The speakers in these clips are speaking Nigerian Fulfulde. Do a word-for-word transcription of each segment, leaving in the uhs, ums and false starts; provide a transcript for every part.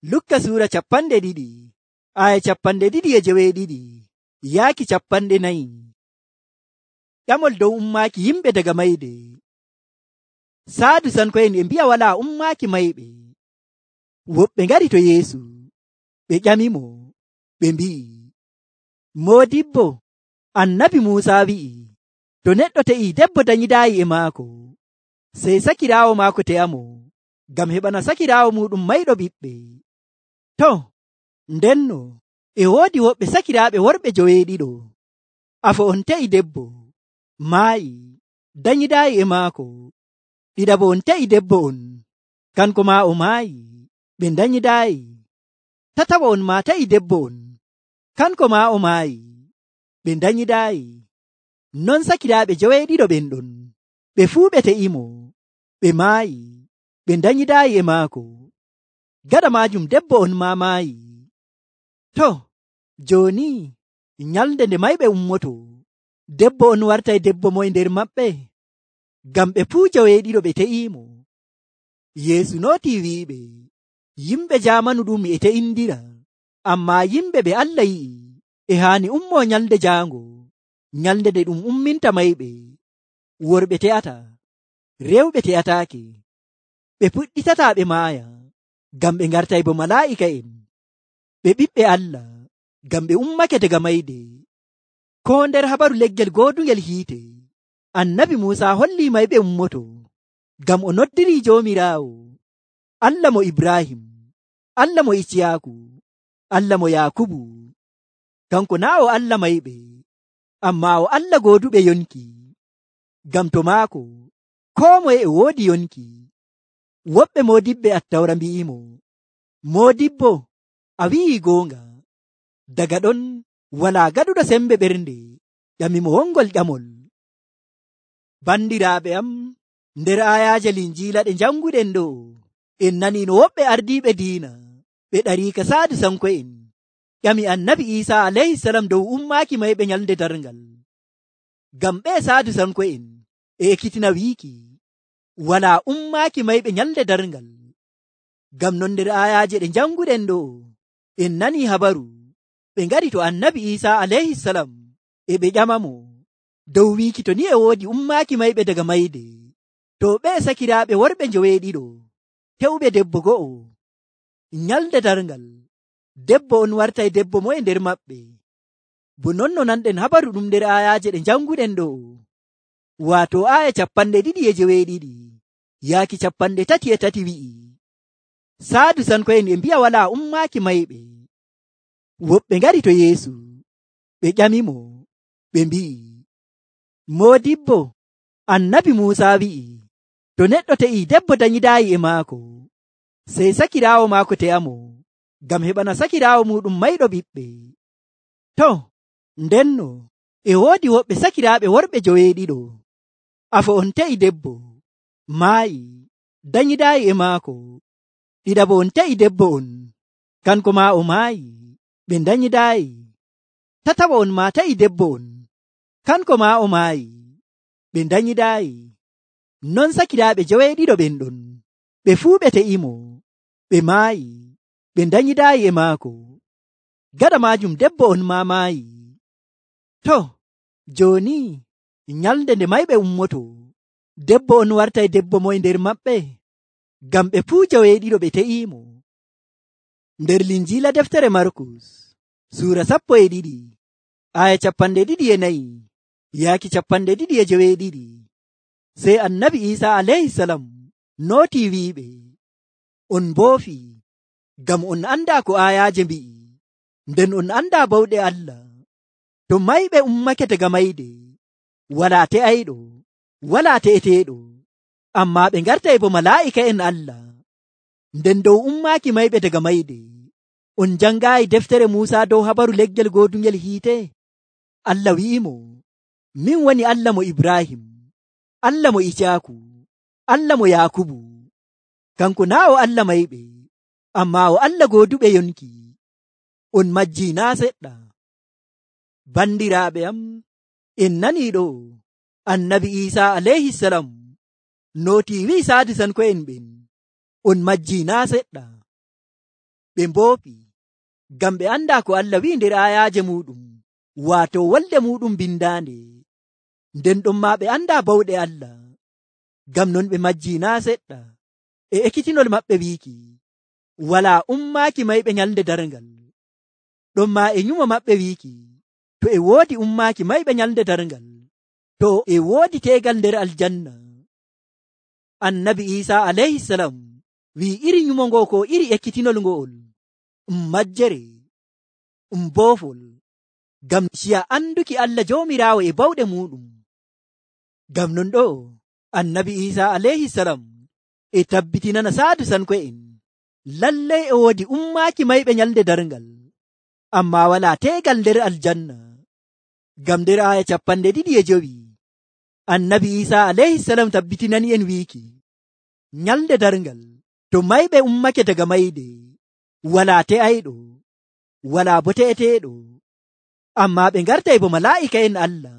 Lukka suura capanɗe ɗiɗi aya capanɗe ɗiɗi e jeweeɗiɗi yaaki capanɗe nayi. Ƴamol dow ummaaki yimɓe daga mayde. Saadusanko'en e mbi'a walaa ummaaki mayɓe. Woɓɓe ngari to Yeesu ɓe ƴamimo ɓe mbi'i, Moodibbo, annabi Muusaa wi'i, to neɗɗo te'ii debbo danyidaayi e maako, sey sakiraawo maako te'amo ngam heɓana sakiraawo muuɗum mayɗo ɓiɓɓe. To, ndenno e woodi woɓɓe sakiraaɓe worɓe joweeɗiɗo. Afo on te'i debbo, maayi, danyidaayi e maako. Ɗiɗaɓo on te'i debbo on, kanko maa o maayi, ɓe danyidaayi. Tataɓo on maa te'i debbo on, kanko maa o maayi, ɓe danyidaayi. Non sakiraaɓe joweeɗiɗo ɓen ɗon, ɓe fuu ɓe te'imo, ɓe maayi, ɓe danyidaayi e maako. Gaɗa maajum debbo on maa maayi. To, jooni nyalnde nde mayɓe ummoto, debbo on wartay debbo moye nder maɓɓe, ngam ɓe fuu joweeɗiɗo ɓe te'iimo. Yeesu nootii wi'iɓe, yimɓe jaamanu ɗum e te'indira, ammaa yimɓe ɓe Allah yi'i e haani ummoo nyalnde jaango, nyalnde nde ɗum umminta mayɓe. Worɓe te'ata, rewɓe te'ataake, ɓe puɗɗitataa ɓe maaya, ngam ɓe ngartay bo malaa'ika'en. Ɓe ɓiɓɓe Allah, ngam ɓe ummake daga mayde. Koo nder habaru leggel goodungel hiite, annabi Muusaa hollii mayɓe ummoto, ngam o noddirii Joomiraawo, Allah mo Ibrahim, Allah mo Iciyaaku, Allah mo Yaakubu. Kanko naa o Allah mayɓe, ammaa o Allah gooduɓe yonki. Ngam to maako, koo moye e woodi yonki. Woɓɓe moodiɓɓe Attawra mbi'imo, Moodibbo, a wi'ii goonga. Daga ɗon walaa gaɗuɗo sembe ɓernde ƴamimo wongol ƴamol. Bandiraaɓe am, nder aayaaje Linjiila ɗe janguɗen ɗo, en nanii no woɓɓe ardiiɓe diina ɓe ɗariika Saadusanko'en ƴami annabi Iisaa alayhisalam dow ummaaki mayɓe nyalnde darngal. Ngam ɓe Saadusanko'en e ekkitina wiiki walaa ummaaki mayɓe nyalnde darngal. Ngam non nder aayaaje ɗe janguɗen ɗo, en nanii habaru ɓe ngari to annabi Iisaa alayhisalam e ɓe ƴamamo dow wiiki to ni e woodi ummaaki mayɓe daga mayde, to ɓe sakiraaɓe worɓe joweeɗiɗo te'uɓe debbo go'o, nyalnde darngal debbo on wartay debbo moye nder maɓɓe. Bo non no nanɗen habaru ɗum nder aayaaje ɗe janguɗen ɗo, waato aaya capanɗe ɗiɗi e jeweeɗiɗi yaaki capanɗe tati e tati wi'i, Saadusanko'en e mbi'a walaa ummaaki mayɓe. Woɓɓe ngari to Yeesu ɓe ƴamimo ɓe mbi'i, Moodibbo, annabi Muusaa wi'i, to neɗɗo te'ii debbo danyidaayi e maako, sey sakiraawo maako te'amo ngam heɓana sakiraawo muuɗum mayɗo ɓiɓɓe. To, ndenno e woodi woɓɓe sakiraaɓe worɓe joweeɗiɗo. Afo on te'i debbo, maayi, danyidaayi e maako. Ɗiɗaɓo on te'i debbo on, kanko maa o maayi, ɓe danyidaayi. Tataɓo on maa te'i debbo on, kanko maa o maayi, ɓe danyidaayi. Non sakiraaɓe joweeɗiɗo ɓen ɗon, ɓe fuu ɓe te'imo, ɓe maayi, ɓe danyidaayi e maako. Gaɗa maajum debbo on maa maayi. To, jooni nyalnde nde mayɓe ummoto, debbo on wartay debbo moye nder maɓɓe, ngam ɓe fuu joweeɗiɗo ɓe te'iimo. Nder Linjiila deftere Markus suura sappo e ɗiɗi aya capanɗe ɗiɗi e nayi yaaki capanɗe ɗiɗi e jeweeɗiɗi, sey annabi Iisaa alayhisalam nootii wi'iɓe, on mboofi ngam on andaa ko aayaaje mbi'i, nden on andaa bawɗe Allah. To mayɓe ummake daga mayde, walaa te'ayɗo, walaa te'eteeɗo, ammaa ɓe ngartay bo malaa'ika'en Allah. Nden dow ummaaki mayɓe daga mayde, on jangaayi deftere Muusaa dow habaru leggel goodungel hiite? Allah wi'imo, min woni Allah mo Ibrahim, Allah mo Iciyaaku, Allah mo Yaakubu. Kanko naa o Allah mayɓe, ammaa o Allah gooduɓe yonki. On majjii naa seɗɗa. Bandiraaɓe am, en nanii ɗo annabi Iisaa alayhisalam nootii wi'i Saadusanko'en ɓen, on majjii naa seɗɗa. ɓe mboofi ngam ɓe anda ko Allah wi'i nder ayaaje muɗum waato wolde muɗum bindaande. Nden ɗon ma ɓe anda bawɗe Allah, ngam non ɓe majji naa seɗɗa e ekkitinol maɓɓe wiiki wala ummaaki mayɓe nyalde darngal. Ɗon ma e nyumo maɓɓe wiiki to e woodi ummaaki mayɓe nyalde darngal, to e woodi teegal nder aljanna. Annabi Isa alayhi salam wi'i iri nyumo ngo ko iri ekkitinol ngo'ol um majjere um boofol ngam ciya anduki Allah Joomiraawo e bawɗe muɗum. Ngam non ɗo Annabi Isa alayhi salam e tabbitinana saadu sanko'en lallay e woodi ummaaki mayɓe nyalde darngal, amma wala teegal nder aljanna. Ngam nder aya capanɗe ɗiɗi e jowi Annabi Isa alayhi salam tabbitinani en wiiki nyalde darngal to mayɓe ummake daga mayde wala te'ayɗo wala bo te'eteeɗo, amma ɓe ngartay bo malaa'ika'en Allah.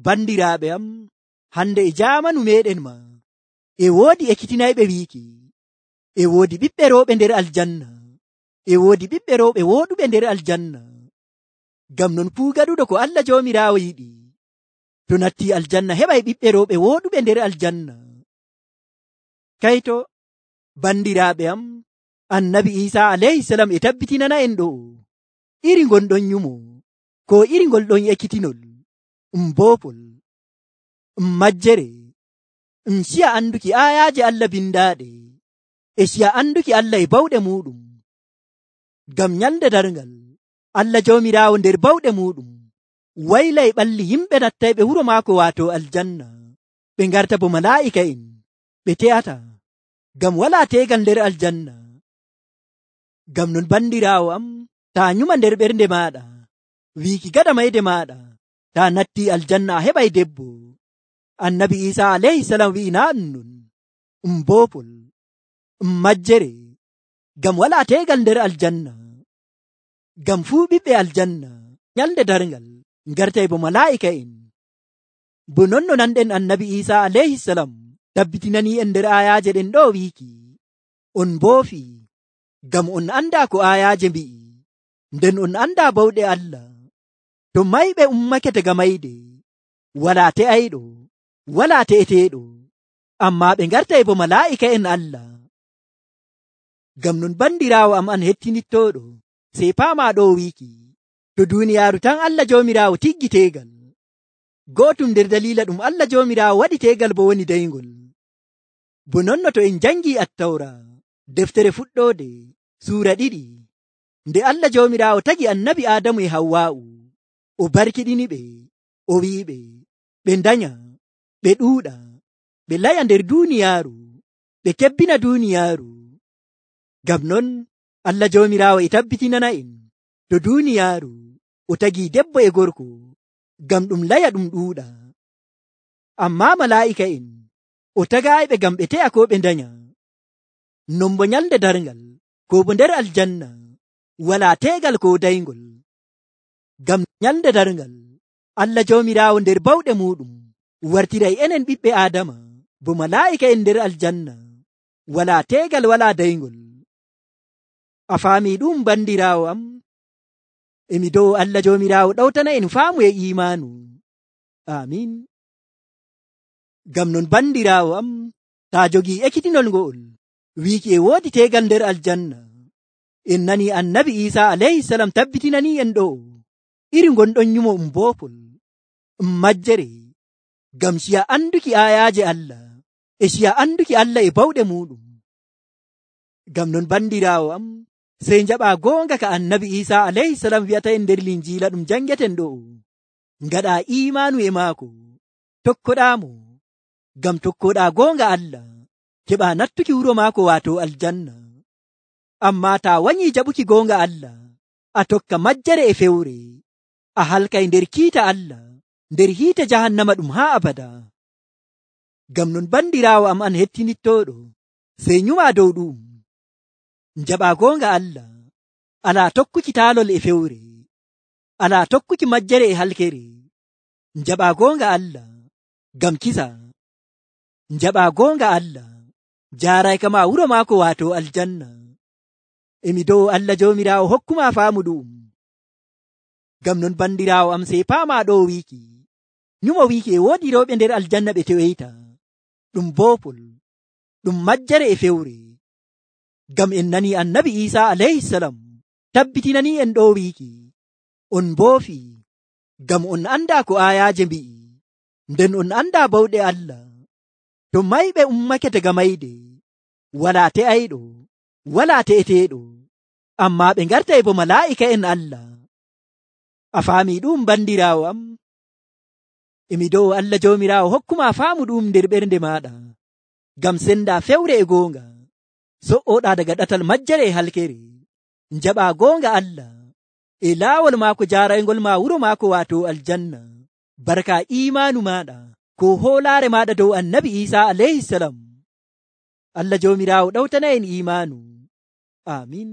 Bandiraaɓe am, hande e jaamanu meɗen ma e woodi ekkitinayɓe wiiki e woodi ɓiɓɓe rewɓe nder aljanna, e woodi ɓiɓɓe rewɓe wooɗuɓe nder aljanna. Ngam non fuu gaɗuɗo ko Allah Joomiraawo yiɗi to natti aljanna heɓay ɓiɓɓe rewɓe wooɗuɓe nder aljanna. Kayto bandiraaɓe am, Annabi Isa alayhi salam e tabbitinana en ɗo iri gonɗon nyumo ko iri ngol ɗon ekkitinol um boofol um majjere um ciya anduki ayaaje Allah bindaaɗe e ciya anduki Allah e bawɗe muɗum. Ngam nyalde darngal Allah Joomiraawo nder bawɗe muɗum waylay ɓalli yimɓe nattayɓe wuro maako waato aljanna, ɓe ngarta bo malaa'ika'en ɓe te'ata ngam wala teegal nder aljanna. Ngam non bandiraawo am, taa nyuma nder ɓernde maaɗa wiiki gaɗa mayde maaɗa taa natti aljanna a heɓay debbo. Annabi Isa alayhi salam wi'i naa ɗum non, um boofol um majjere ngam wala teegal nder aljanna. Ngam fuu ɓiɓɓe aljanna nyalde darngal ngartay bo malaa'ika'en. Bo non no nanɗen Annabi Isa alayhi salam tabbitinani en nder ayaaje ɗen ɗo wiiki on mboofi ngam on anda ko ayaaje mbi'i, nden on anda bawɗe Allah. To mayɓe ummake daga mayde wala te'ayɗo wala te'eteeɗo, amma ɓe ngartay bo malaa'ika'en Allah. Ngam non bandiraawo am an hettinittoɗo, sey paama ɗo wiiki to duuniyaaru tan Allah Joomiraawo tiggi teegal. Gootum nder daliila ɗum Allah Joomiraawo waɗi teegal bo woni dayngol. Bo nonno to en jangii Attawra deftere fuɗɗoode suura ɗiɗi, nde Allah Joomiraawo tagi annabi Aadamu e Hawwaa'u o barkiɗini ɓe o wi'iɓe ɓe ndanya ɓe ɗuuɗa ɓe laya nder duuniyaaru ɓe kebbina duuniyaaru. Ngam non Allah Joomiraawo e tabbitinana en to duuniyaaru o tagi debbo e gorko ngam ɗum laya ɗum ɗuuɗa, amma malaa'ika'en o tagaayɓe ngam ɓe te'a ko ɓe ndanya. Non bo nyalde darngal ko bo nder aljanna wala teegal ko dayngol. Ngam nyalde darngal Allah Joomiraawo nder bawɗe muɗum wartiray enen ɓiɓɓe Aadama bo malaa'ika'en nder aljanna wala teegal wala dayngol. A faami ɗum bandiraawo am? Emi dow Allah Joomiraawo ɗawtana en faamu e imaanu. Amin. Ngam non bandiraawo am, taa jogii ekkitinol ngo'ol wiiki e woodi teegal nder aljanna, en nani Annabi Isa alayhi salam tabbitinani en ɗo iri gonɗon nyumo um boofol um majjere ngam ciya anduki ayaaje Allah e ciya anduki Allah e bawɗe muɗum. Ngam non bandiraawo am, sey njaɓa goonga ka Annabi Isa alayhi salam wi'ata en nder linjiila ɗum jangeten ɗo, ngaɗa imaanu e maako, tokkoɗaamo ngam tokkoɗa goonga Allah keɓa nattuki wuro maako waato aljanna. Amma taa wanyi jaɓuki goonga Allah a tokka majjere e fewre, a halkay nder kiita Allah nder hiite jahannama ɗum haa abada. Ngam non bandiraawo am an hettinittoɗo, sey nyuma dow ɗum, njaɓa goonga Allah, alaa tokkuki taalol e fewre, alaa tokkuki majjere e halkere, njaɓa goonga Allah ngam kisa, njaɓa goonga Allah jaaray kama wuro maako waato aljanna. emi dow Allah joomiraawo hokkuma faamu ɗum. Ngam non bandiraawo am sey paama ɗo wiiki nyumo wiiki e woodi rewɓe nder aljanna ɓe teweyta ɗum boopol ɗum majjere e fewre. Ngam en nani annabi Isa alayhisalam tabbitinani en ɗo wiiki on mboofi ngam on anda ko ayaje mbi'i, nden on anda bawɗe Allah. To mayɓe ummake daga mayde wala te'ayɗo wala te'eteeɗo, amma ɓe ngartay bo malaa'ika en Allah. A faami ɗum bandiraawo am? Emi dow Allah joomiraawo hokkuma faamu ɗum nder ɓernde maɗa, ngam senda fewre e goonga, so'oɗa daga ɗatal majjere e halkere, njaɓa goonga Allah e laawol maako jaaraygol ma wuro maako waato aljanna, barka imaanu maɗa ko hoolaare maɗa dow annabi Isa alayhisalam. Allah joomiraawo ɗawtana en imaanu. Amin.